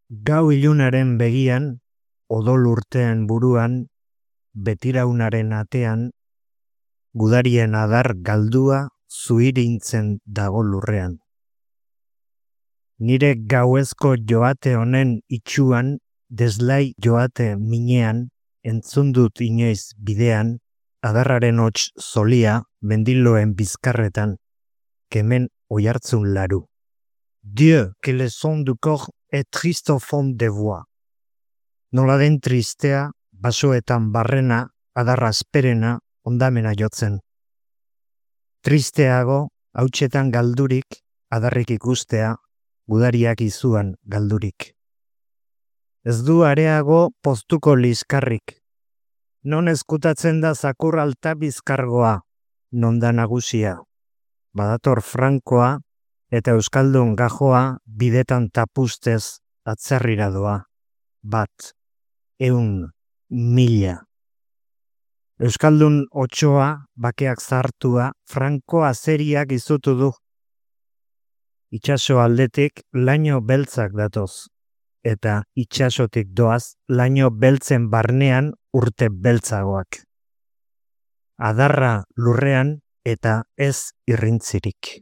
Gau ilunaren begian, odol urteen buruan, betiraunaren atean, gudarien adar galdua zuirintzen dago lurrean. Nire gauezko joate honen itxuan, deslai joate minean, entzun dut inoiz bidean, adarraren hots zolia mendiloen bizkarretan, kemen oihartzun laru. Dieu, que le son du corps est triste au fond des voix. Nola den tristea, basoetan barrena, adarra asperena, ondamena jotzen. Tristeago, hautsetan galdurik, adarrik ikustea, gudariak izuan galdurik. Ez du areago poztuko liskarrik. Non ezkutatzen da zakur alta bizkargoa, non da nagusia. Badator frankoa, eta euskaldun gajoa bidetan tapustez atzerrira doa. 1, 100, 1000. Euskaldun otsoa, bakeak zartua, franko azeriak izutu du. Itxaso aldetik laino beltzak datoz, eta itxasotik doaz laino beltzen barnean urte beltzagoak. Adarra lurrean eta ez irrintzirik.